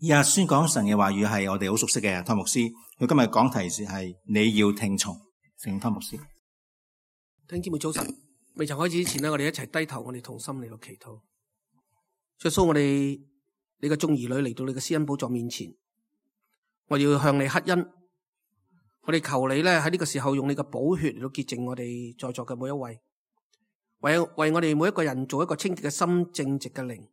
以下宣講神嘅話語係我哋好熟悉嘅湯牧師，佢今日講題係你要聽從。聖湯牧師，弟兄姊妹早晨。未曾開始之前呢，我哋一齊低頭，我哋同心嚟到祈禱。耶穌，我哋你嘅眾兒女嚟到你嘅施恩寶座面前，我要向你乞恩。我哋求你咧喺呢個時候用你嘅寶血嚟到潔淨我哋在座嘅每一位，為我哋每一個人做一個清潔嘅心、正直嘅靈，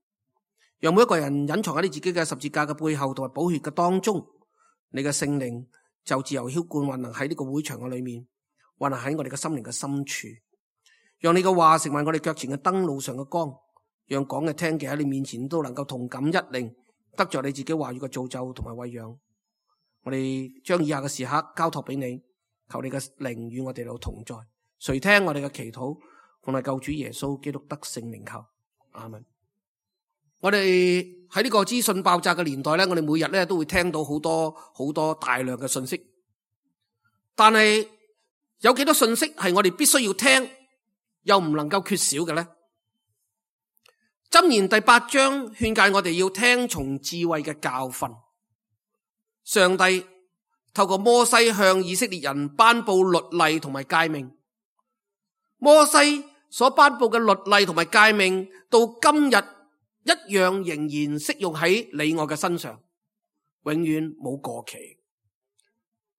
讓每一個人隱藏喺你自己嘅十字架嘅背後同埋寶血嘅當中，你嘅聖靈就自由澆灌運行喺呢個會場嘅裏面，運行喺我哋嘅心靈嘅深處，讓你嘅話成為我哋腳前嘅燈，路上嘅光，讓講嘅聽嘅喺你面前都能夠同感一靈，得着你自己話語嘅造就同埋餵養。我哋將以下嘅時刻交託俾你，求你嘅靈與我哋同在，垂聽我哋嘅祈禱，奉我救主耶穌基督得聖名求，阿們。我哋喺呢個資訊爆炸嘅年代咧，我哋每日咧都會聽到好多大量嘅信息，但係有幾多信息係我哋必須要聽又唔能夠缺少嘅咧？箴言第8章勸誡我哋要聽從智慧嘅教訓。上帝透過摩西向以色列人頒布律例同埋誡命，摩西所頒布嘅律例同埋誡命到今日一樣仍然適用喺你我嘅身上，永遠冇過期。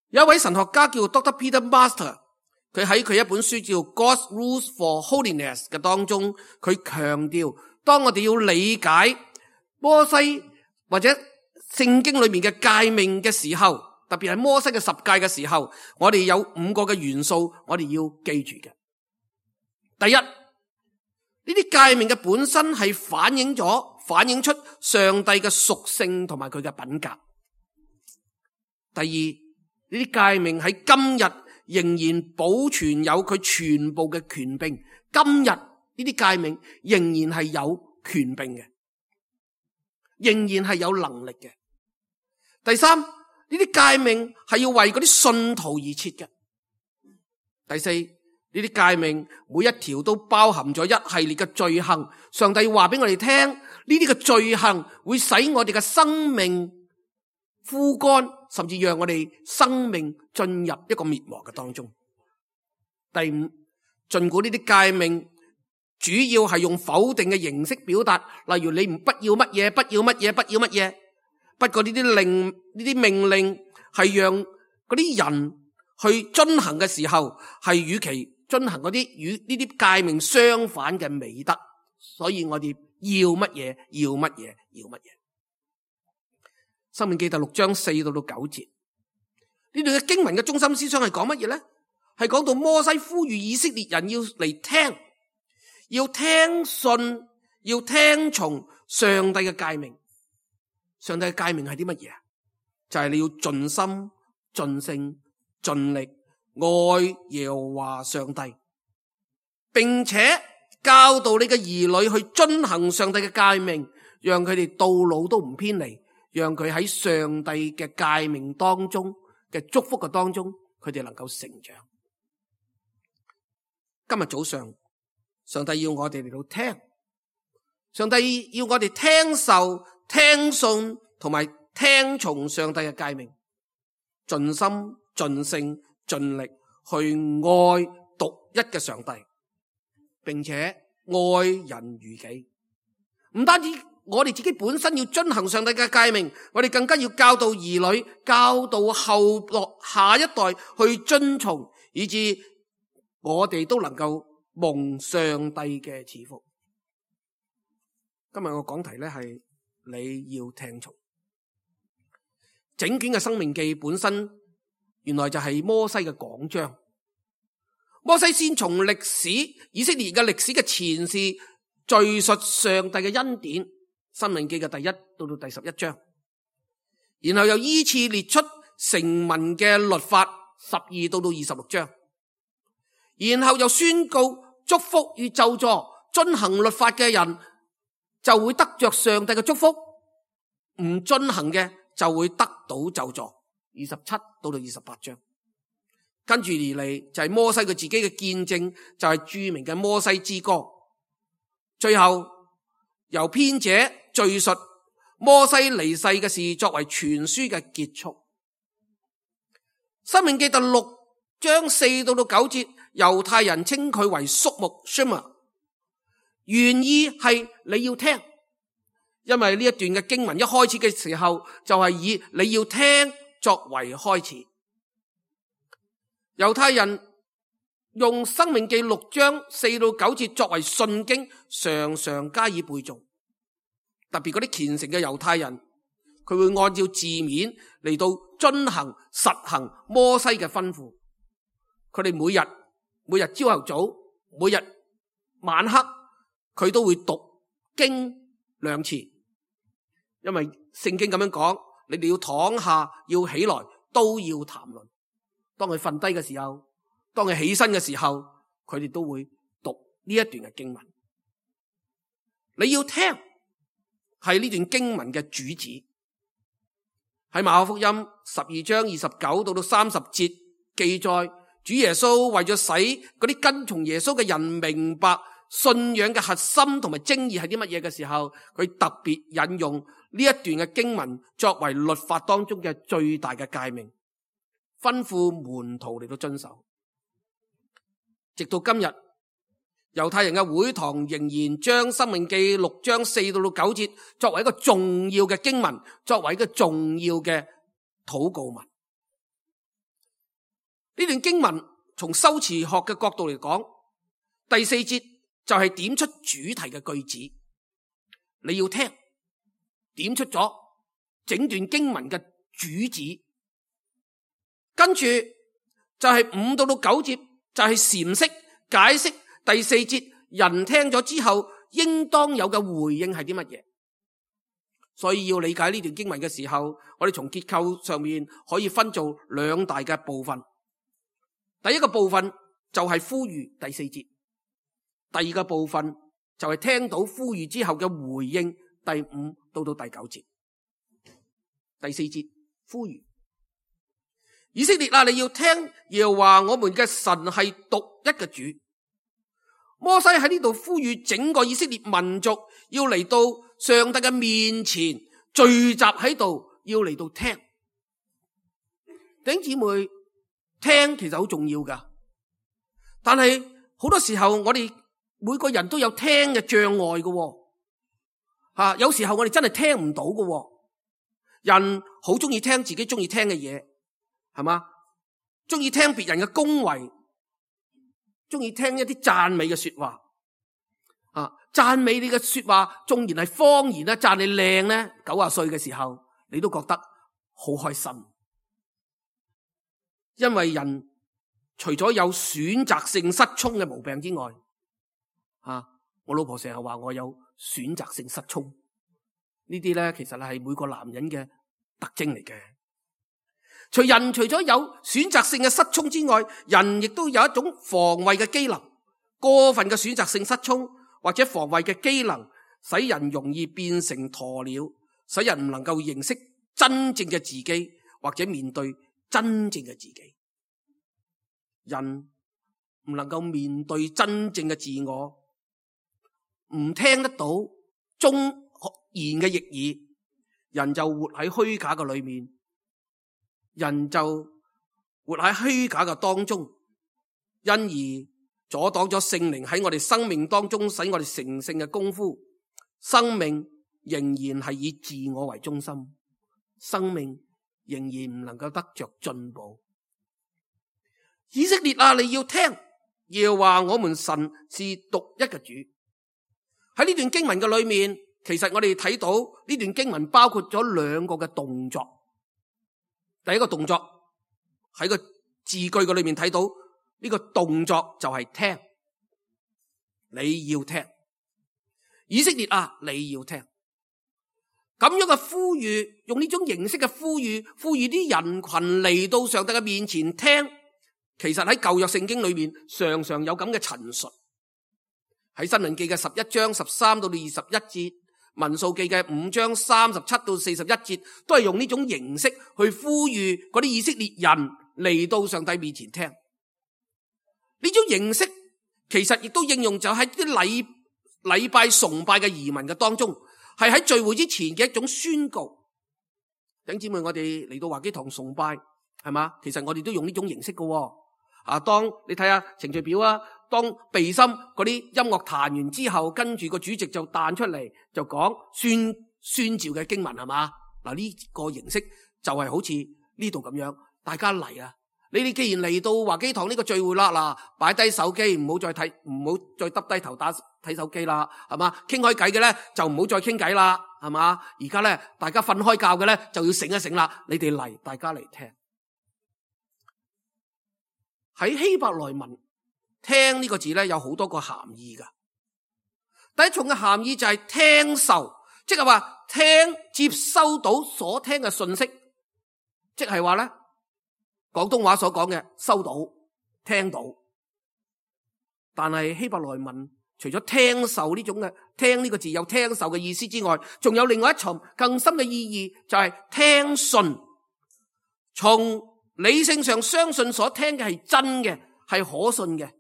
有一位神學家叫 Dr. Peter Master， 佢喺佢一本書叫 God's Rules for Holiness 嘅當中，佢強調當我哋要理解摩西或者聖經裏面嘅誡命嘅時候，特別係摩西嘅十誡嘅時候，我哋有5個嘅元素我哋要記住嘅。第一，呢啲誡命嘅本身係反映出上帝嘅屬性同埋佢嘅品格。第二，呢啲誡命喺今日仍然保存有佢全部嘅權柄，今日呢啲誡命仍然係有權柄嘅，仍然係有能力嘅。第三，呢啲誡命係要為嗰啲信徒而設嘅。第四，呢啲誡命每一條都包含咗一系列嘅罪行，上帝話俾我哋聽，呢啲嘅罪行會使我哋嘅生命枯乾，甚至讓我哋生命進入一個滅亡嘅當中。第五，盡管呢啲誡命主要係用否定嘅形式表達，例如你不要乜嘢，不要乜嘢，不要乜嘢。不過呢啲命令係讓嗰啲人去遵行嘅時候，係與其遵行嗰啲與呢啲誡命相反嘅美德，所以我哋要乜嘢，要乜嘢，要乜嘢。申命記第6章4到9節，呢段嘅經文嘅中心思想係講乜嘢咧？係講到摩西呼籲以色列人要嚟聽，要聽信，要聽從上帝嘅誡命。上帝嘅誡命係啲乜嘢？就係你要盡心、盡性、盡力愛耶和華上帝，並且教導你嘅兒女去遵行上帝嘅誡命，讓佢哋到老都唔偏離，讓佢喺上帝嘅誡命當中嘅祝福嘅當中，佢哋能夠成長。今日早上，上帝要我哋嚟到聽，上帝要我哋聽受、聽信同埋聽從上帝嘅誡命，盡心、盡性、盡力去愛獨一嘅上帝，並且愛人如己。唔單止我哋自己本身要遵行上帝嘅誡命，我哋更加要教導兒女，教導後落下一代去遵從，以致我哋都能夠蒙上帝嘅賜福。今日我講題咧係你要聽從。整卷嘅申命記本身原來就係摩西嘅講章。摩西先從歷史以色列嘅歷史嘅前事敘述上帝嘅恩典，申命記嘅第1到第11章，然後又依次列出成文嘅律法12到26章，然後又宣告祝福與咒詛，遵行律法嘅人就會得着上帝嘅祝福，唔遵行嘅就會得到咒詛。27到28章，跟住而嚟就係摩西佢自己嘅見證，就係著名嘅摩西之歌。最後由編者敘述摩西離世嘅事作為全書嘅結束。申命記第6章4到9節，猶太人稱佢為肅穆 Shema， 原意係你要聽，因為呢一段嘅經文一開始嘅時候就係以你要聽作為開始。猶太人用申命記6章4到9節作為信經，常常加以背誦。特別嗰啲虔誠嘅猶太人，佢會按照字面嚟到遵行實行摩西嘅吩咐。佢哋每日朝頭早，每日晚黑，佢都會讀經2次，因為聖經咁樣講，你哋要躺下，要起來，都要談論。當佢瞓低嘅時候，當佢起身嘅時候，佢哋都會讀呢一段嘅經文。你要聽，係呢段經文嘅主旨。喺馬可福音12章29到30節記載，主耶穌為咗使嗰啲跟從耶穌嘅人明白信仰嘅核心同埋精義係啲乜嘢嘅時候，佢特別引用呢一段嘅經文作為律法當中嘅最大嘅誡命，吩咐門徒嚟到遵守。直到今日，猶太人嘅會堂仍然將申命記6章4到9節作為一個重要嘅經文，作為一個重要嘅禱告文。呢段經文從修辭學嘅角度嚟講，第4節就係點出主題嘅句子，你要聽，點出咗整段經文嘅主旨。跟住就係5到9節就係闡釋解釋第4節人聽咗之後應當有嘅回應係啲乜嘢。所以要理解呢段經文嘅時候，我哋從結構上面可以分做2大嘅部分。第一個部分就係呼籲第4節，第二個部分就係聽到呼籲之後嘅回應第5到第9節。第4節呼籲以色列啊，你要聽耶和華我們嘅神係獨一嘅主。摩西喺呢度呼籲整個以色列民族要嚟到上帝嘅面前聚集喺度，要嚟到聽。弟兄姊妹，聽其實好重要噶，但係好多時候我哋每個人都有聽嘅障礙噶，有時候我哋真係聽唔到噶。人好中意聽自己中意聽嘅嘢，係嘛？中意聽別人嘅恭維，中意聽一啲讚美嘅說話。讚美你嘅說話，縱然係謊言啦，讚你靚咧，90歲嘅時候，你都覺得好開心。因為人除咗有選擇性失聰嘅毛病之外，我老婆成日話我有選擇性失聰，呢啲咧其實係每個男人嘅特徵嚟嘅。除咗有選擇性嘅失聰之外，人亦都有一種防衛嘅機能。過分嘅選擇性失聰或者防衛嘅機能，使人容易變成鴕鳥，使人唔能夠認識真正嘅自己，或者面對真正嘅自己。人唔能夠面對真正嘅自我，唔聽得到忠言嘅逆耳，人就活喺虛假嘅裏面，人就活喺虛假嘅當中，因而阻擋咗聖靈喺我哋生命當中使我哋成聖嘅功夫。生命仍然係以自我為中心，生命仍然唔能夠得着進步。以色列啊，你要聽，耶和華我們神是獨一嘅主。喺呢段經文嘅裏面，其實我哋睇到呢段經文包括咗2個嘅動作。第一個動作喺個字句嘅裏面睇到呢個動作就係聽，你要聽。以色列啊，你要聽。咁樣嘅呼籲，用呢種形式嘅呼籲啲人群嚟到上帝嘅面前聽。其實喺舊約聖經裏面常常有咁嘅陳述。喺申命記嘅11章13到21節，民數記嘅5章37到41節，都係用呢種形式去呼籲嗰啲以色列人嚟到上帝面前聽。呢種形式其實亦都應用就喺啲禮拜崇拜嘅移民嘅當中。係喺聚會之前嘅一種宣告。弟兄姊妹，我哋嚟到華基堂崇拜，係嘛？其實我哋都用呢種形式嘅。當你睇下程序表啊，當備心嗰啲音樂彈完之後，跟住個主席就彈出嚟，就講宣召嘅經文，係嘛？嗱，呢個形式就係好似呢度咁樣，大家嚟啊！你哋既然嚟到華基堂呢個聚會啦，嗱，擺低手機，唔好再耷低頭睇手機啦，係嘛？傾開偈嘅咧就唔好再傾偈啦，係嘛？而家咧大家瞓開覺嘅咧就要醒一醒啦，你哋嚟，大家嚟聽。喺希伯來文聽呢個字咧有好多個含義噶。第一重嘅含義就係聽受，即係話聽接收到所聽嘅信息，即係話咧廣東話所講嘅收到聽到。但係希伯來文除咗聽受呢種嘅聽呢個字有聽受嘅意思之外，仲有另外一重更深嘅意義，就係聽信，從理性上相信所聽嘅係真嘅，係可信嘅。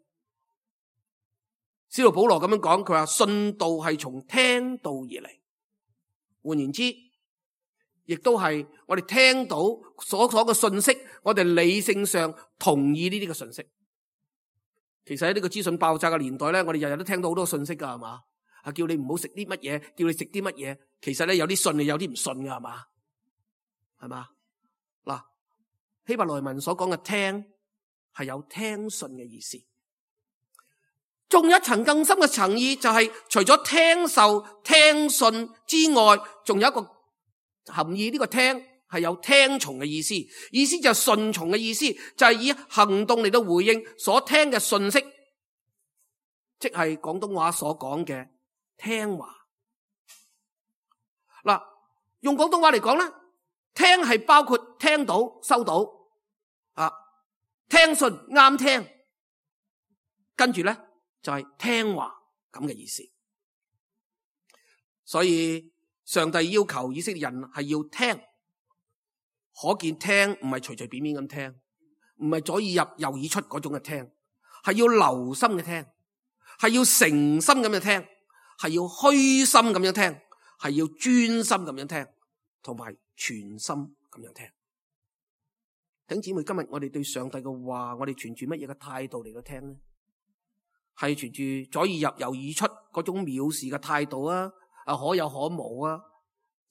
使徒保羅咁樣講，佢話信道係從聽道而嚟。換言之，亦都係我哋聽到所嘅信息，我哋理性上同意呢啲嘅信息。其實喺呢個資訊爆炸嘅年代咧，我哋日日都聽到好多信息噶，係嘛？叫你唔好食啲乜嘢，叫你食啲乜嘢。其實咧有啲信嘅，有啲唔信噶，係嘛？係嘛？嗱，希伯來文所講嘅聽係有聽信嘅意思。仲有一層更深嘅層意，就係除咗聽受聽信之外，仲有一個含義，呢個聽係有聽從嘅意思，意思就係順從嘅意思，就係以行動嚟到回應所聽嘅信息，即係廣東話所講嘅聽話。嗱，用廣東話嚟講咧，聽係包括聽到收到聽信啱聽，跟住咧就係聽話咁嘅意思。所以上帝要求以色列人係要聽，可見聽唔係隨隨便便咁聽，唔係左耳入右耳出嗰種嘅聽，係要留心嘅聽，係要誠心咁樣聽，係要虛心咁樣聽，係要專心咁樣聽，同埋全心咁樣聽。弟兄姊妹，今日我哋對上帝嘅話，我哋存住乜嘢嘅態度嚟到聽呢？係存住左耳入右耳出嗰種藐視嘅態度啊，可有可無啊，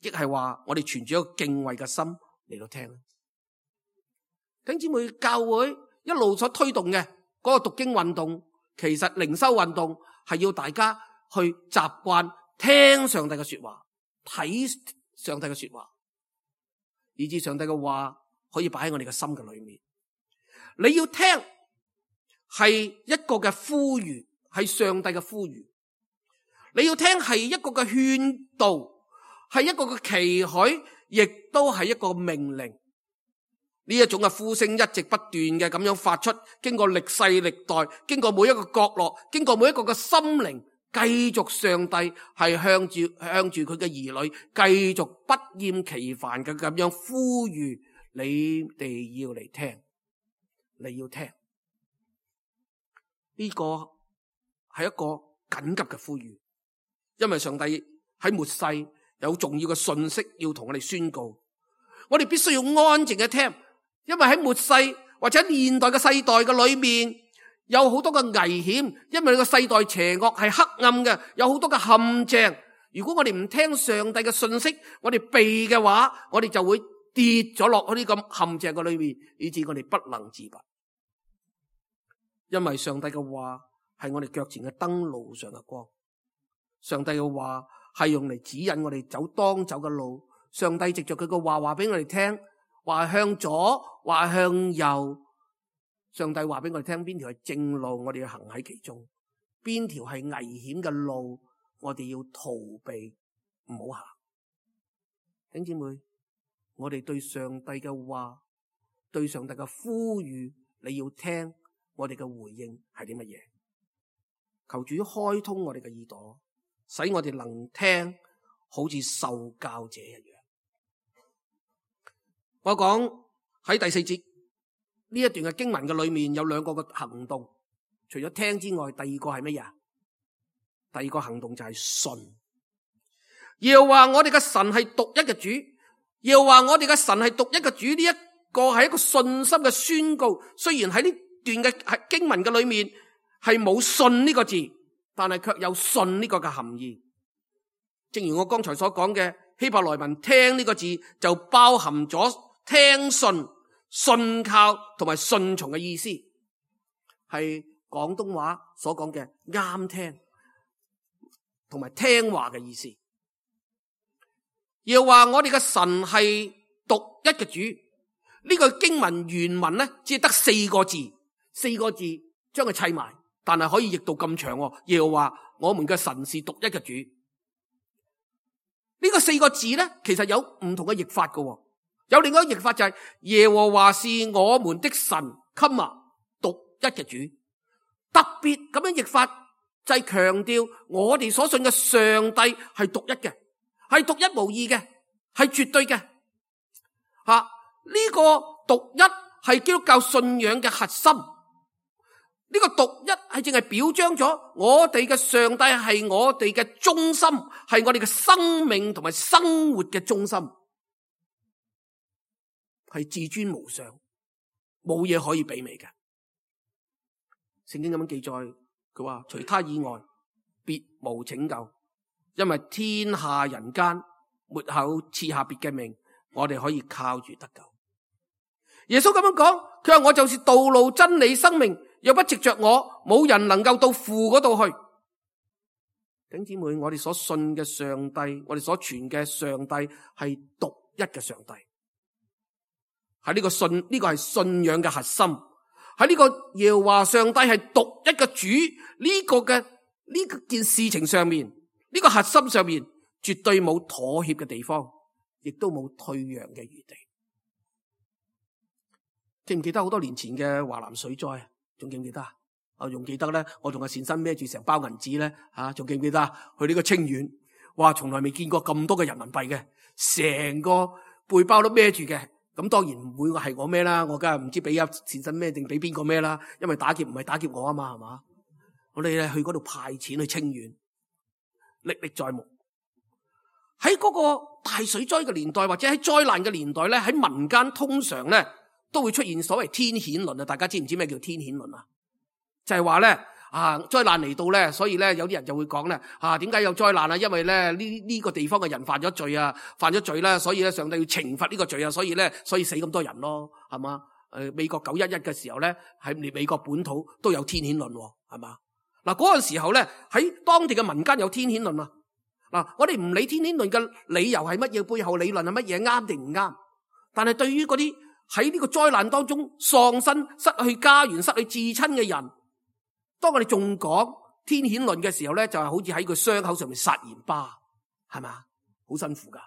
亦係話我哋存住一個敬畏嘅心嚟到聽。弟兄姊妹，教會一路所推動嘅嗰個讀經運動，其實靈修運動係要大家去習慣聽上帝嘅說話，睇上帝嘅說話，以致上帝嘅話可以擺喺我哋嘅心嘅裏面。你要聽係一個嘅呼籲，係上帝嘅呼籲。你要聽係一個嘅勸導，係一個嘅期許，亦都係一個命令。呢一種嘅呼聲一直不斷嘅咁樣發出，經過歷世歷代，經過每一個角落，經過每一個嘅心靈，繼續上帝係向住佢嘅兒女，繼續不厭其煩嘅咁樣呼籲你哋要嚟聽，你要聽。呢個係一個緊急嘅呼籲，因為上帝喺末世有重要嘅信息要同我哋宣告，我哋必須要安靜嘅聽，因為喺末世或者現代嘅世代嘅裏面有好多嘅危險，因為個世代邪惡係黑暗嘅，有好多嘅陷阱。如果我哋唔聽上帝嘅信息，我哋避嘅話，我哋就會跌咗落去呢個陷阱嘅裏面，以致我哋不能自拔。因為上帝嘅話係我哋腳前嘅燈，路上嘅光。上帝嘅話係用嚟指引我哋走當走嘅路。上帝藉着佢嘅話話俾我哋聽，話向左，話向右。上帝話俾我哋聽邊條係正路，我哋要行喺其中；邊條係危險嘅路，我哋要逃避，唔好行。弟兄姊妹，我哋對上帝嘅話，對上帝嘅呼籲，你要聽。我哋嘅回應係啲乜嘢？求主開通我哋嘅耳朵，使我哋能聽，好似受教者一樣。我講喺第4節呢一段嘅經文嘅裏面有兩個嘅行動，除咗聽之外，第二個係乜嘢？第二個行動就係信。耶和華我哋嘅神係獨一嘅主，耶和華我哋嘅神係獨一嘅主，呢一個係一個信心嘅宣告。雖然喺呢段嘅經文嘅裏面係冇信呢個字，但係卻有信呢個嘅含義。正如我剛才所講嘅希伯來文聽呢個字就包含咗聽信、信靠同埋順從嘅意思，係廣東話所講嘅啱聽同埋聽話嘅意思。又話我哋嘅神係獨一嘅主，呢個經文原文咧只係得4個字，4個字將佢砌埋，但係可以譯到咁長。又話我們嘅神是獨一嘅主，呢個4個字咧其實有唔同嘅譯法嘅，有另外一個譯法就係耶和華是我們的神，獨一嘅主。特別咁樣譯法就係強調我哋所信嘅上帝係獨一嘅，係獨一無二嘅，係絕對嘅。呢個獨一係基督教信仰嘅核心。呢個獨一係淨係表彰咗我哋嘅上帝係我哋嘅中心，係我哋嘅生命同埋生活嘅中心，係至尊無上，冇嘢可以媲美嘅。聖經咁樣記載，佢話除他以外別無拯救，因為天下人間沒有賜下別嘅名，我哋可以靠住得救。耶穌咁樣講，佢話我就是道路真理生命，若不藉着我，冇人能夠到父嗰度去。弟兄姊妹，我哋所信嘅上帝，我哋所傳嘅上帝係獨一嘅上帝，係呢個信，呢個係信仰嘅核心。喺呢個耶和華上帝係獨一嘅主呢個嘅呢件事情上面，呢個核心上面絕對冇妥協嘅地方，亦都冇退讓嘅餘地。記唔記得好多年前嘅華南水災啊？仲記唔記得啊？我仲記得咧，我同阿善生孭住成包銀紙咧，仲記唔記得啊？去呢個清遠，哇，從來未見過咁多嘅人民幣嘅，成個背包都孭住嘅。咁當然唔會係我孭啦，我梗係唔知俾阿善生孭定俾邊個孭啦，因為打劫唔係打劫我啊嘛，係嘛？我哋咧去嗰度派錢去清遠，歷歷在目。喺嗰個大水災嘅年代，或者喺災難嘅年代咧，喺民間通常咧都會出現所謂天譴論啊！大家知唔知咩叫天譴論啊？就係話咧災難嚟到咧，所以咧有啲人就會講咧點解有災難啊？因為咧呢個地方嘅人犯咗罪啊，犯咗罪啦，所以咧上帝要懲罰呢個罪啊，所以死咁多人咯，係嘛？美國911嘅時候咧，喺美國本土都有天譴論，係嘛？嗱，嗰個時候咧喺當地嘅民間有天譴論啊！嗱，我哋唔理天譴論嘅理由係乜嘢，背後理論係乜嘢，啱定唔啱？但係對於嗰啲喺呢個災難當中喪生、失去家園、失去至親嘅人，當我哋仲講天譴論嘅時候咧，就係好似喺個傷口上面撒鹽巴，係嘛？好辛苦噶，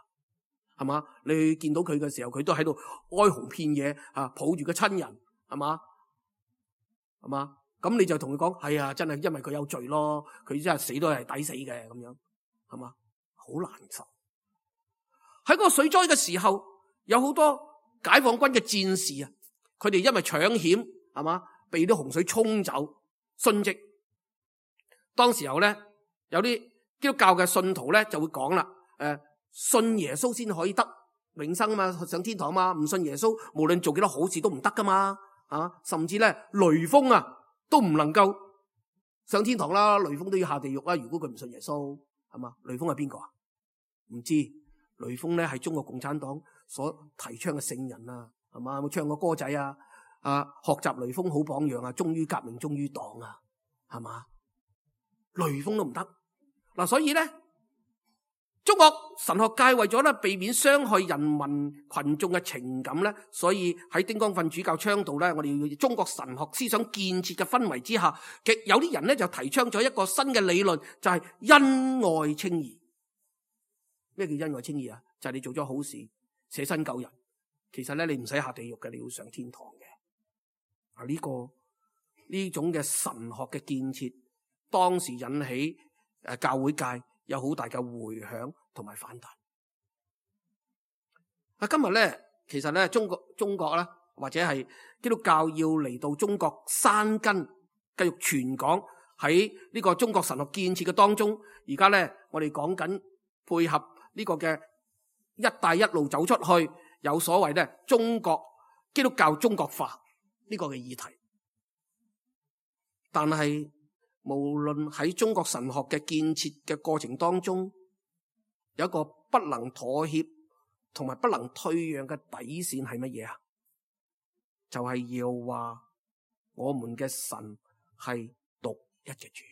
係嘛？你見到佢嘅時候，佢都喺度哀鴻遍野抱住個親人，係嘛？係嘛？咁你就同佢講，係啊，真係因為佢有罪咯，佢真係死都係抵死嘅，咁樣，係嘛？好難受。喺嗰個水災嘅時候，有好多解放軍嘅戰士啊，佢哋因為搶險，係嘛，被啲洪水沖走，殉職。當時候咧，有啲基督教嘅信徒咧就會講啦，信耶穌先可以得永生啊嘛，上天堂啊嘛，唔信耶穌，無論做幾多好事都唔得噶嘛，甚至咧雷鋒啊都唔能夠上天堂啦，雷鋒都要下地獄啦。如果佢唔信耶穌，係嘛？雷鋒係邊個啊？唔知。雷鋒咧係中國共產黨所提倡嘅聖人啊，係嘛？有冇唱過歌仔啊？學習雷鋒好榜樣啊，忠於革命，忠於黨啊，係嘛？雷鋒都唔得嗱，所以咧，中國神學界為咗咧避免傷害人民群眾嘅情感咧，所以喺丁光訓主教倡導咧，我哋要中國神學思想建設嘅氛圍之下，有啲人咧就提倡咗一個新嘅理論，就係恩愛稱義。咩叫恩愛稱義啊？就係你做咗好事，捨身救人，其實咧你唔使下地獄嘅，你要上天堂嘅。呢種嘅神學嘅建設，當時引起教會界有好大嘅回響同埋反彈。今日咧，其實咧中國咧，或者係基督教要嚟到中國生根，繼續傳講喺呢個中國神學建設嘅當中。而家咧，我哋講緊配合呢個嘅一帶一路走出去，有所謂咧中國基督教中國化呢個嘅議題。但係無論喺中國神學嘅建設嘅過程當中，有一個不能妥協同埋不能退讓嘅底線係乜嘢啊？就係要話我們嘅神係獨一嘅主。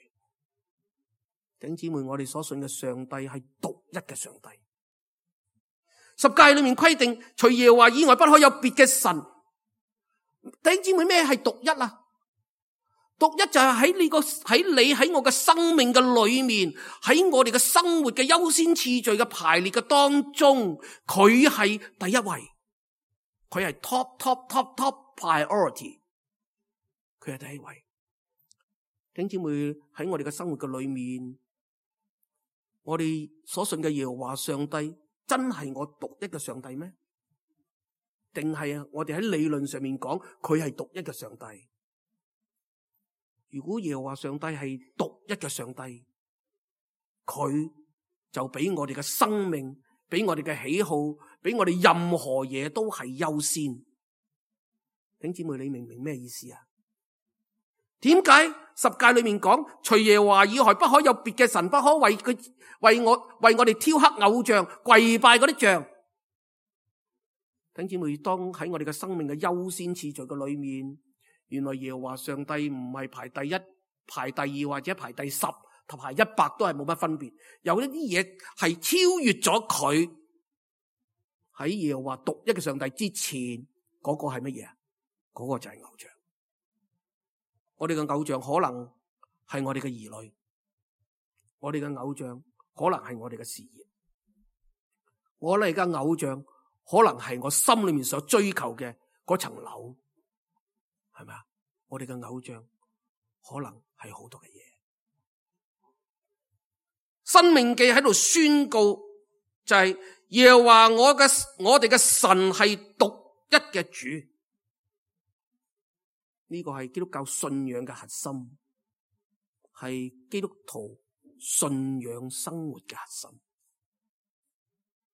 弟兄姊妹，我哋所信嘅上帝係獨一嘅上帝。十誡裏面規定，除耶和華以外不可有別嘅神。弟兄姊妹，咩係獨一啊？獨一就係喺你喺我嘅生命嘅裏面，喺我哋嘅生活嘅優先次序嘅排列嘅當中，佢係第一位，佢係 top priority， 佢係第一位。弟兄姊妹，喺我哋嘅生活嘅裏面，我哋所信嘅耶和華上帝真係我獨一嘅上帝咩？定係我哋喺理論上面講佢係獨一嘅上帝？如果耶和華上帝係獨一嘅上帝，佢就比我哋嘅生命，比我哋嘅喜好，比我哋任何嘢都係優先。弟兄姊妹，你明唔明咩意思啊？點解十誡裏面講，除耶和華以外不可有別嘅神，不可為我哋雕刻偶像，跪拜嗰啲像？弟兄姊妹，當喺我哋嘅生命嘅優先次序嘅裏面，原來耶和華上帝唔係排第一、排第二或者排第10同排100都係冇乜分別。有一啲嘢係超越咗佢。喺耶和華獨一嘅上帝之前，嗰個係乜嘢啊？嗰個就係偶像。我哋嘅偶像可能係我哋嘅兒女，我哋嘅偶像可能係我哋嘅事業，我哋嘅偶像可能係我心裏面所追求嘅嗰層樓。係咪啊？我哋嘅偶像可能係好多嘅嘢。申命記喺度宣告就係耶和華我哋嘅神係獨一嘅主。呢個係基督教信仰嘅核心，係基督徒信仰生活嘅核心。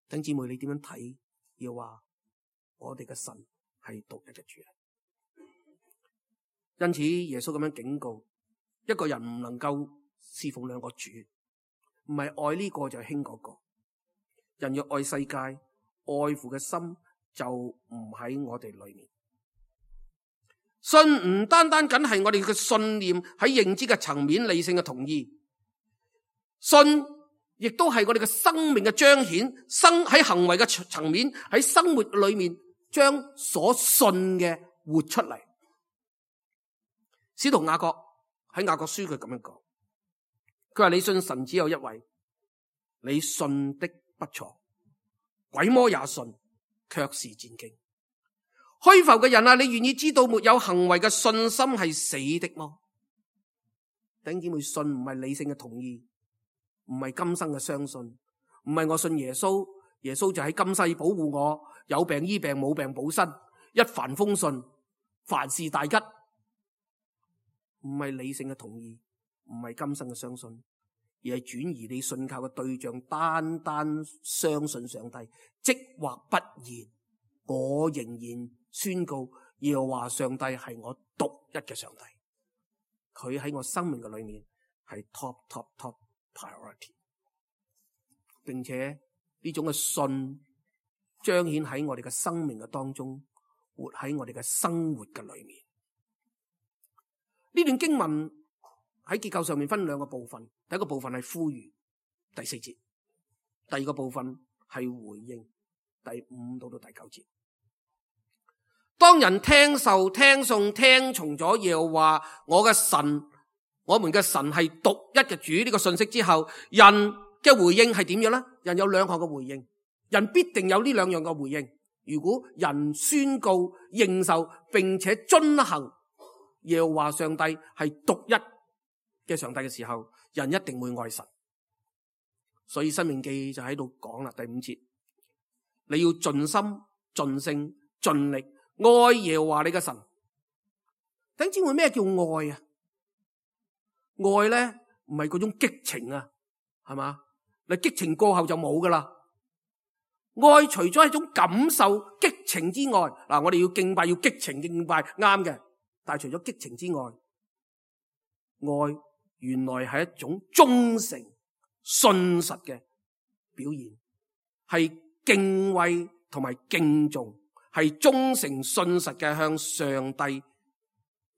弟兄姊妹，你點樣睇？要話我哋嘅神係獨一嘅主。因此耶穌咁樣警告，一個人唔能夠侍奉兩個主，唔係愛呢個就輕嗰個。人若愛世界，愛父嘅心就唔喺我哋裏面。信唔單單僅係我哋嘅信念喺認知嘅層面、理性嘅同意，信亦都係我哋嘅生命嘅彰顯，喺行為嘅層面，喺生活裏面將所信嘅活出嚟。使徒雅各喺雅各書佢咁樣講，佢話你信神只有一位，你信的不錯，鬼魔也信，卻是戰驚。虛浮嘅人啊，你願意知道沒有行為嘅信心係死的麼？弟兄姊妹，信唔係理性嘅同意，唔係今生嘅相信，唔係我信耶穌，耶穌就喺今世保護我，有病醫病，冇病補身，一帆風順，凡事大吉。唔係理性嘅同意，唔係今生嘅相信，而係轉移你信靠嘅對象，單單相信上帝，即或不然，我仍然宣告耶和華上帝係我獨一嘅上帝，佢喺我生命嘅裏面係 top priority， 並且呢種嘅信彰顯喺我哋嘅生命嘅當中，活喺我哋嘅生活嘅裏面。呢段經文喺結構上面分兩個部分，第一個部分係呼籲，第4節；第二個部分係回應，第5到第9節。當人聽受聽頌聽從咗耶和華我嘅神，我們嘅神係獨一嘅主呢個信息之後，人嘅回應係點樣呢？人有兩項嘅回應，人必定有呢兩樣嘅回應。如果人宣告認受並且遵行耶和華上帝係獨一嘅上帝嘅時候，人一定會愛神。所以申命記就喺度講啦，第5節，你要盡心盡性盡力愛耶和華你嘅神。弟兄姊妹，咩叫愛啊？愛咧唔係嗰種激情啊，係嘛？你激情過後就冇噶啦，愛除咗係一種感受激情之外，嗱，我哋要敬拜要激情敬拜啱嘅，但係除咗激情之外，愛原來係一種忠誠信實嘅表現，係敬畏同埋敬重，係忠誠信實嘅向上帝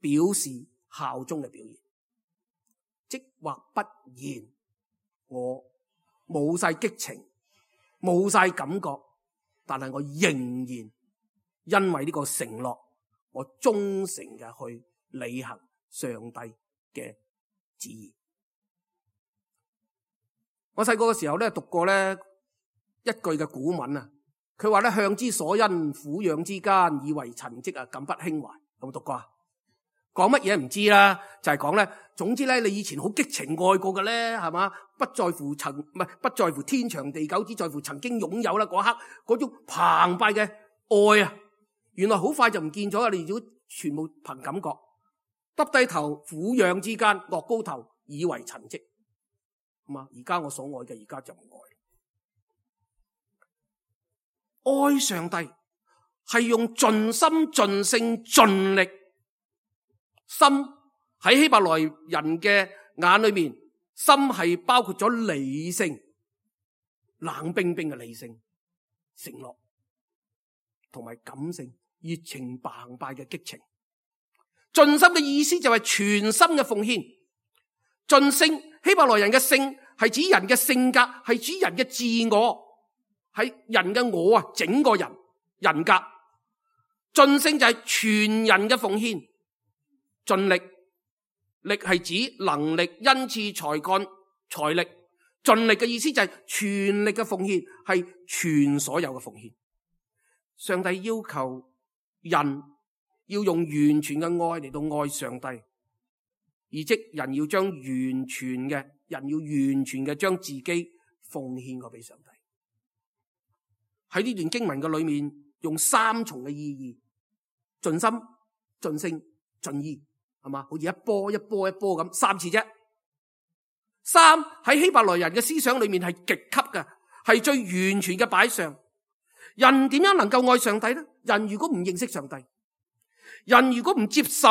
表示效忠嘅表現。即或不然，我冇晒激情，冇晒感覺，但係我仍然因為呢個承諾，我忠誠嘅去履行上帝嘅旨意。我細個嘅時候咧，讀過咧一句嘅古文啊，佢話咧，向之所因，撫養之間，以為陳迹啊，敢不輕懷。有冇讀過啊？講乜嘢唔知啦，就係講咧，總之咧，你以前好激情愛過嘅咧，係嘛？不在乎不在乎天長地久，只在乎曾經擁有啦嗰刻嗰種澎湃嘅愛啊，原來好快就唔見咗啊！你如果全部憑感覺，耷低頭撫養之間，樂高頭以為陳迹，係嘛？而家我所愛嘅，而家就唔愛。愛上帝係用盡心盡性盡力。心喺希伯來人嘅眼裏面，心係包括咗理性、冷冰冰嘅理性、承諾同埋感性、熱情澎湃嘅激情。盡心嘅意思就係全心嘅奉獻。盡性，希伯來人嘅性係指人嘅性格，係指人嘅自我，係人嘅我啊，整個人格。盡性就係全人嘅奉獻。盡力，力係指能力、恩賜、才幹、財力。盡力嘅意思就係全力嘅奉獻，係全所有嘅奉獻。上帝要求人要用完全嘅愛嚟到愛上帝，而即人要將完全嘅將自己奉獻過俾上帝。喺呢段經文嘅裏面，用三重嘅意義：盡心、盡性、盡意。係嘛？好似一波一波一波咁，三次啫。三喺希伯來人嘅思想裏面係極級嘅，係最完全嘅擺上。人點樣能夠愛上帝呢？人如果唔認識上帝，人如果唔接受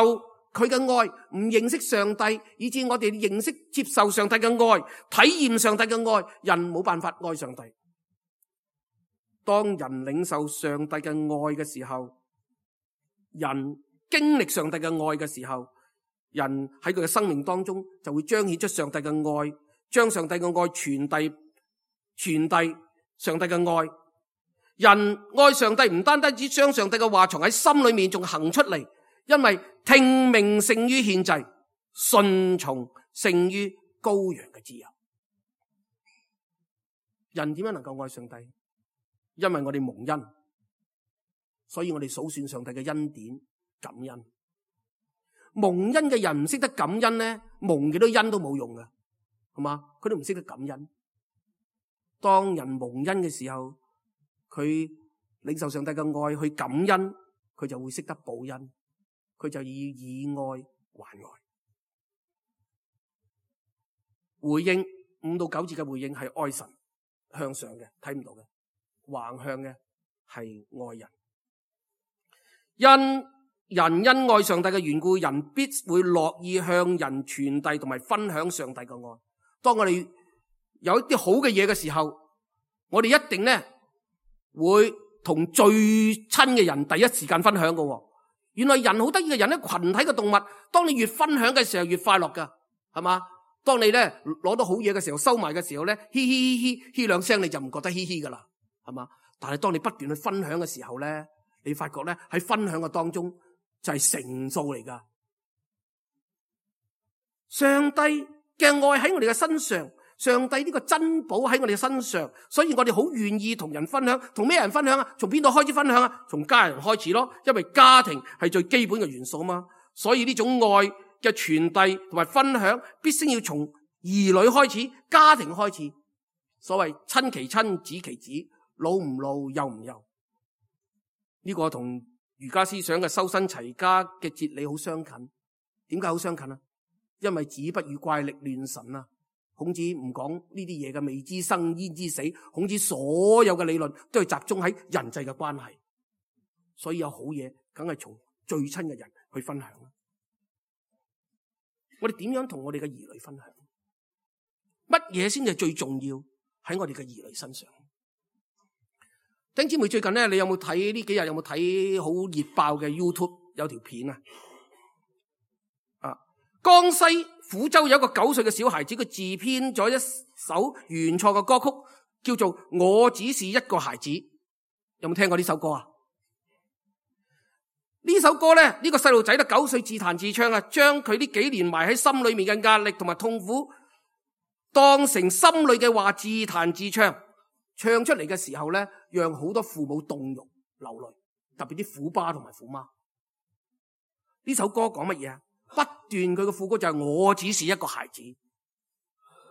佢嘅愛，唔認識上帝，以致我哋認識接受上帝嘅愛，體驗上帝嘅愛，人冇辦法愛上帝。當人領受上帝嘅愛嘅時候，人經歷上帝嘅愛嘅時候，人喺佢嘅生命當中就會彰顯出上帝嘅愛，將上帝嘅愛傳遞上帝嘅愛。人愛上帝唔單單只將上帝嘅話藏喺心裏面，仲行出嚟，因為聽命勝於獻祭，順從勝於羔羊嘅脂油。人點樣能夠愛上帝？因為我哋蒙恩，所以我哋數算上帝嘅恩典，感恩。蒙恩嘅人唔識得感恩咧，蒙幾多恩都冇用嘅，係嘛？佢都唔識得感恩。當人蒙恩嘅時候，佢領受上帝嘅愛去感恩，佢就會識得報恩，佢就要以愛還愛。回應5到9節嘅回應係愛神，向上嘅，睇唔到嘅；橫向嘅係愛人。因愛上帝嘅緣故，人必會樂意向人傳遞同埋分享上帝嘅愛。當我哋有一啲好嘅嘢嘅時候，我哋一定咧會同最親嘅人第一時間分享嘅。原來人好得意嘅，人咧群體嘅動物，當你越分享嘅時候越快樂噶，係嘛？當你咧攞到好嘢嘅時候，收埋嘅時候咧，嘻嘻嘻嘻嘻兩聲，你就唔覺得嘻嘻噶啦，係嘛？但係當你不斷去分享嘅時候咧，你發覺咧喺分享嘅當中就係成數嚟噶。上帝嘅愛喺我哋嘅身上，上帝呢個珍寶喺我哋嘅身上，所以我哋好願意同人分享。同咩人分享啊？從邊度開始分享啊？從家人開始咯，因為家庭係最基本嘅元素啊嘛。所以呢種愛嘅傳遞同埋分享，必須要從兒女開始，家庭開始。所謂親其親，子其子，老唔老，幼唔幼。呢個同儒家思想嘅修身齊家嘅哲理好相近。點解好相近啊？因為子不語怪力亂神啊，孔子唔講呢啲嘢嘅未知生焉知死，孔子所有嘅理論都係集中喺人際嘅關係，所以有好嘢梗係從最親嘅人去分享。我哋點樣同我哋嘅兒女分享？乜嘢先係最重要喺我哋嘅兒女身上？弟兄姊妹，最近咧，你有冇睇呢幾日有冇睇好熱爆嘅 YouTube 有條片啊？江西撫州有一個9歲嘅小孩子，佢自編咗一首原創嘅歌曲，叫做《我只是一個孩子》。有冇聽過呢首歌啊？呢首歌咧，呢個細路仔咧9歲自彈自唱啊，將佢呢幾年埋喺心裏面嘅壓力同埋痛苦，當成心裏嘅話自彈自唱，唱出嚟嘅時候咧，讓好多父母動容流淚，特別啲虎爸同埋虎媽。呢首歌講乜嘢啊？不斷佢嘅副歌就係我只是一個孩子，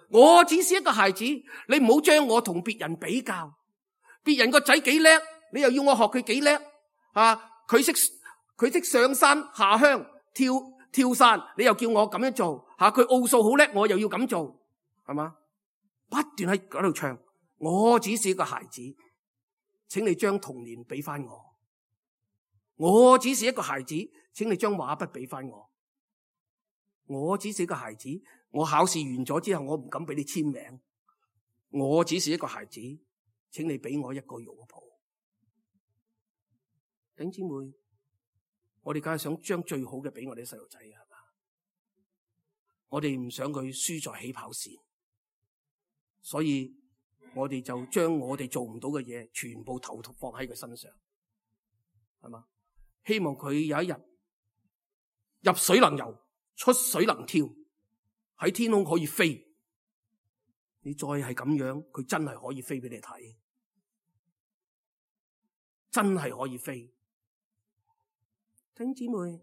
我只是一個孩子，你唔好將我同別人比較，別人個仔幾叻，你又要我學佢幾叻啊？佢識上山下鄉跳傘，你又叫我咁樣做吓？佢奧數好叻，我又要咁做，係嘛？不斷喺嗰度唱，我只是一個孩子，請你將童年俾翻我。我只是一個孩子，請你將畫筆俾翻我。我只是一個孩子，我考試完咗之後，我唔敢俾你簽名。我只是一個孩子，請你俾我一個擁抱。弟兄姊妹，我哋梗係想將最好嘅俾我哋細路仔，係嘛？我哋唔想佢輸在起跑線，所以我哋就將我哋做唔到嘅嘢全部投放喺佢身上，係嘛？希望佢有一日入水能游，出水能跳，喺天空可以飛。你再係咁樣，佢真係可以飛俾你睇，真係可以飛。弟兄姊妹，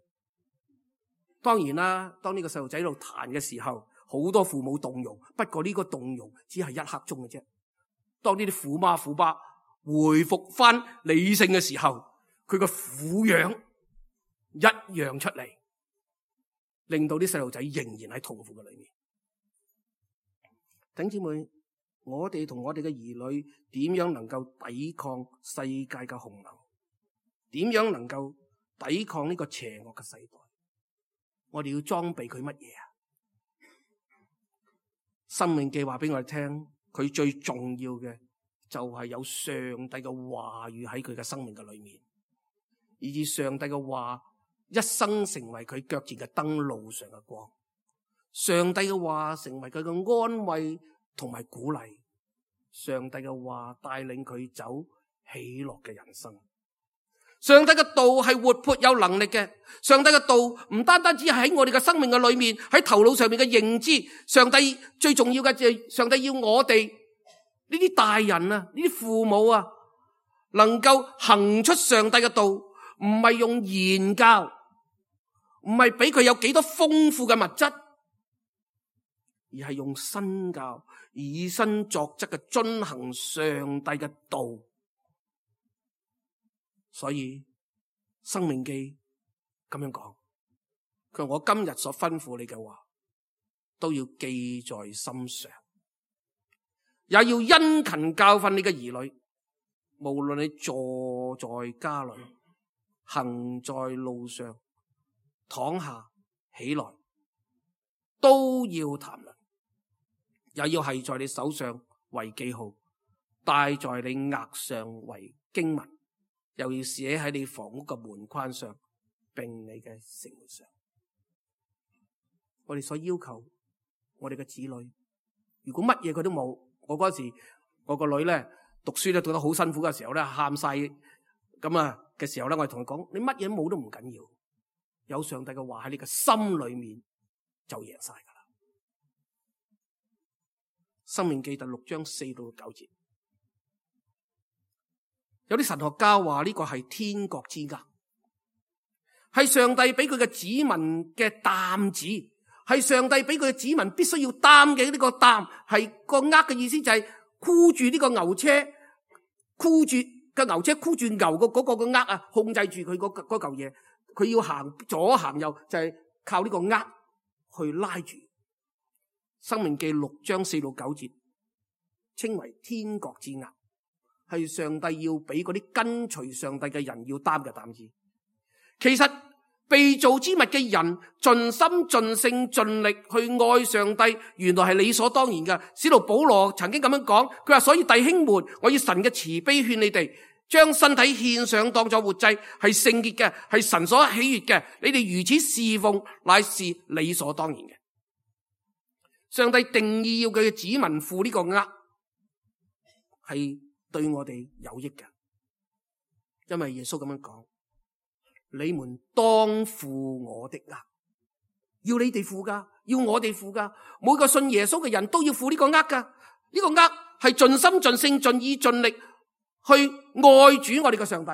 當然啦，當呢個細路仔喺度彈嘅時候，好多父母動容，不過呢個動容只係一刻鐘嘅啫。當呢啲虎媽虎爸回復翻理性嘅時候，佢個苦樣一樣出嚟，令到啲細路仔仍然喺痛苦嘅裏面。弟兄姊妹，我哋同我哋嘅兒女點樣能夠抵抗世界嘅洪流？點樣能夠抵抗呢個邪惡嘅世代？我哋要裝備佢乜嘢啊？申命記話俾我哋聽，佢最重要嘅就係有上帝嘅話語喺佢嘅生命嘅裏面，以致上帝嘅話一生成為佢腳前嘅燈，路上嘅光。上帝嘅話成為佢嘅安慰同埋鼓勵，上帝嘅話帶領佢走喜樂嘅人生。上帝嘅道係活潑有能力嘅，上帝嘅道唔單單只係喺我哋嘅生命嘅裏面，喺頭腦上面嘅認知。上帝最重要嘅就係上帝要我哋呢啲大人啊，呢啲父母啊，能夠行出上帝嘅道，唔係用言教，唔係俾佢有幾多豐富嘅物質，而係用身教，以身作則嘅遵行上帝嘅道。所以申命記咁樣講，佢話我今日所吩咐你嘅話都要記在心上，也要殷勤教訓你嘅兒女，無論你坐在家裏，行在路上，躺下起來，都要談論，也要繫在你手上為記號，戴在你額上為經文，又要寫喺你房屋嘅門框上，並你嘅城門上。我哋所要求我哋嘅子女，如果乜嘢佢都冇，我嗰時我個女咧讀書咧讀得好辛苦嘅時候咧，喊晒咁啊嘅時候咧，我哋同佢講：你乜嘢冇都唔緊要，有上帝嘅話喺你嘅心裏面就贏晒噶啦。申命記第6章4到9節。有啲神學家話呢個係天國之軛，係上帝俾佢嘅子民嘅擔子，係上帝俾佢嘅子民必須要擔嘅呢個擔，係個軛嘅意思就係箍住呢個牛車，箍住個牛車，箍住牛個嗰個嘅軛啊，控制住佢嗰嚿嘢，佢要行左行右就係靠呢個軛去拉住。申命記6章4到9節，稱為天國之軛，係上帝要俾嗰啲跟隨上帝嘅人要擔嘅擔子。其實被造之物嘅人盡心盡性盡力去愛上帝，原來係理所當然嘅。使徒保羅曾經咁樣講，佢話：所以弟兄們，我以神嘅慈悲勸你哋，將身體獻上當作活祭，係聖潔嘅，係神所喜悅嘅。你哋如此侍奉，乃是理所當然嘅。上帝定意要佢嘅子民負呢個軛，係對我哋有益嘅，因為耶穌咁樣講：你們當負我的軛，要你哋負噶，要我哋負噶，每個信耶穌嘅人都要負呢個軛噶。呢個軛係盡心盡性盡意盡力去愛主我哋嘅上帝。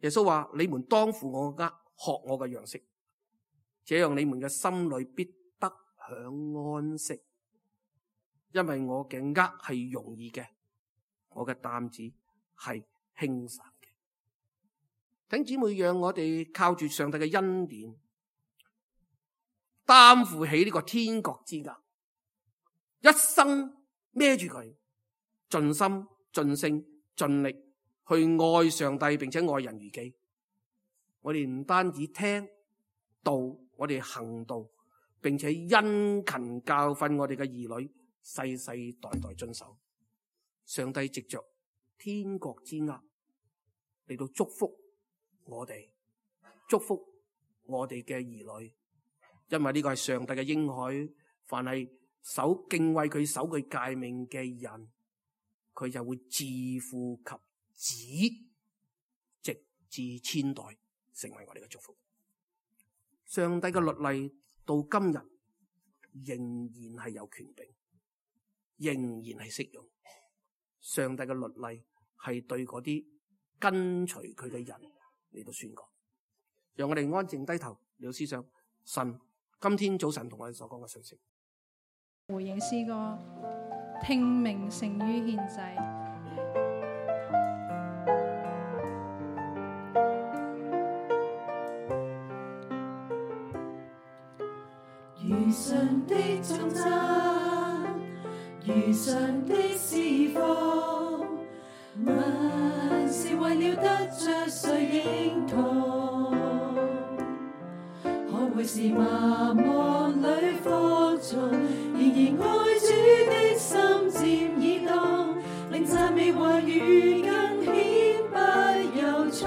耶穌話：你們當負我嘅軛，學我嘅樣式，這樣你們嘅心裏必得享安息，因為我嘅軛係容易嘅，我嘅擔子係輕省嘅。弟兄姊妹，讓我哋靠住上帝嘅恩典，擔負起呢個天國之軛，一生孭住佢，盡心盡性盡力去愛上帝，並且愛人如己。我哋唔單止聽道，我哋行道，並且殷勤教訓我哋嘅兒女，世世代代遵守。上帝藉着天國之軛嚟到祝福我哋，祝福我哋嘅兒女，因為呢個係上帝嘅應許。凡係敬畏佢、守佢誡命嘅人，佢就會自父及子，直至千代，成為我哋嘅祝福。上帝嘅律例到今日仍然係有權柄，仍然係適用。上帝嘅律例係對嗰啲跟隨佢嘅人嚟到宣講。讓我哋安靜低頭，嚟到思想神今天早晨同我哋所講嘅信息。回應詩歌，聽命勝於獻祭。如上的頌讚，如上的侍奉，萬事為了得着誰認同？可會是麻木裏服從，然而愛主的心漸已動，令讚美話語更顯不由衷。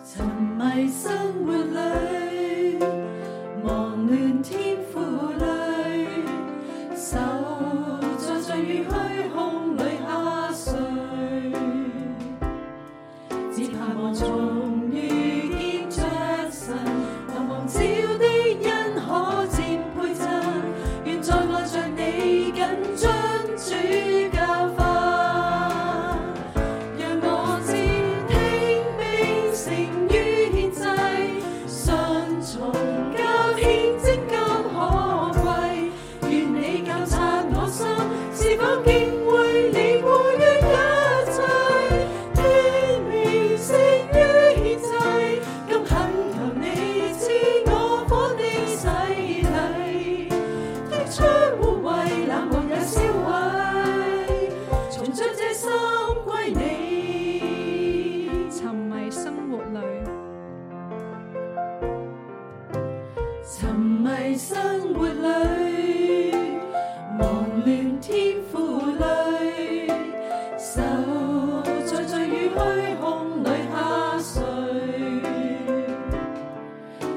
沉迷生活裏，忙亂天賦裏，手在罪與虛空裏下垂，只盼望重遇見着神，茫茫照的恩可漸倍增，願在愛着你緊遵主教訓，讓我知聽命勝於獻祭，順從較獻精金可貴，願你教察我心是否敬畏你過於一切，聽命勝於獻祭，今懇求你知我火的洗禮，剔出污穢冷漠也燒毀，重將這心歸你。沉迷生活裏，沉迷生活裏，忙亂天賦裏，手在罪與虛空裏下垂，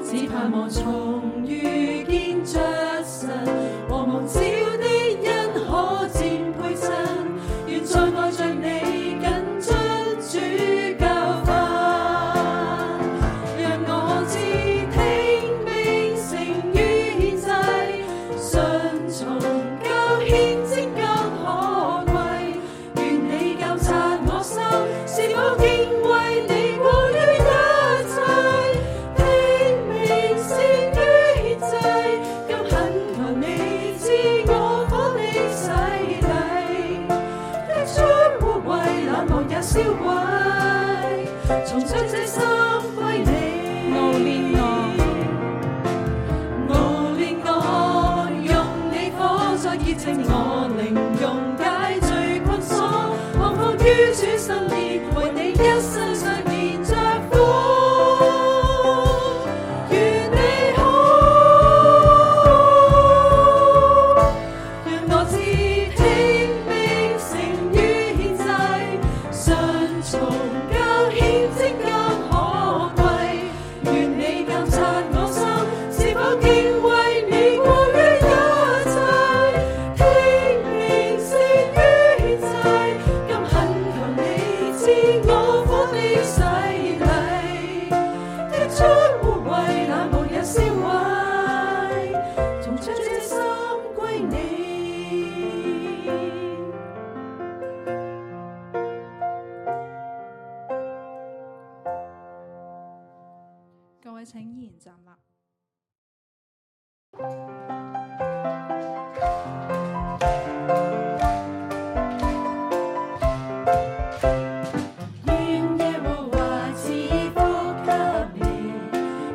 只盼望重遇見着神，和望照的恩可漸倍增，願在愛着你緊遵主教訓，讓我知聽命勝於獻祭，順從較獻精金可貴，願你教察我心是否敬畏你過於一切，聽命勝於獻祭，今懇求你知我火的洗禮，剔出污穢冷漠也燒毀，重將這心歸你。熬煉我，證我靈用解罪困鎖，放放於主身邊，為你一生常連着苦。願你好，讓我知聽命勝於獻祭，順從較獻精更可貴。願你監察我心，是否敬畏你過於一切，聽命勝於獻祭，今懇求你賜我火的洗禮，剔出污穢，那無日燒毀，從將這心歸你。各位請依然站立。願耶和華賜福給你，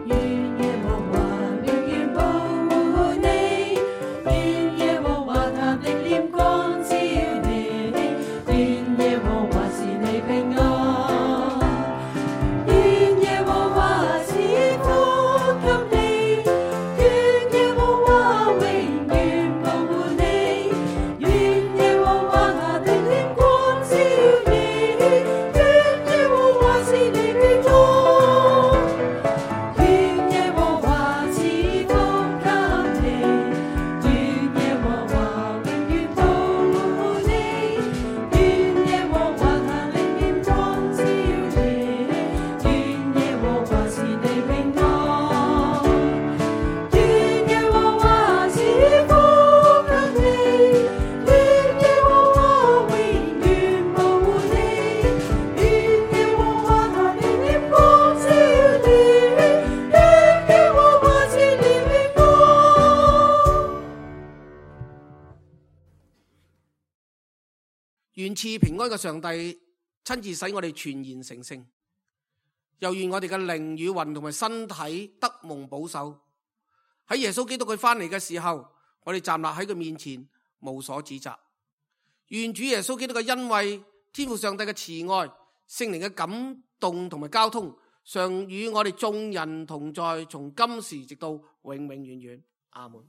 願耶和華永遠保護你，願耶和華他的臉光照你，願耶和華賜你平安，願耶和華賜福給你，願耶和華永遠保護你，願耶和華他的臉光照你，願耶和華賜你平安，願耶和華賜福給你，願耶和華永遠保護你，願耶和華他的臉光照你，願耶和華賜你平安，願耶和華賜福給你，願耶和華永遠保護你，願耶和華他的臉光照你，願耶和華賜你平安。願賜平安嘅上帝親自使我哋全然成聖，又願我哋嘅靈與魂同埋身體得蒙保守。喺耶穌基督佢翻嚟嘅時候，我哋站立喺佢面前無所指責。願主耶穌基督嘅恩惠、天父上帝嘅慈愛、聖靈嘅感動同埋交通，常與我哋眾人同在，從今時直到永永遠遠。阿門。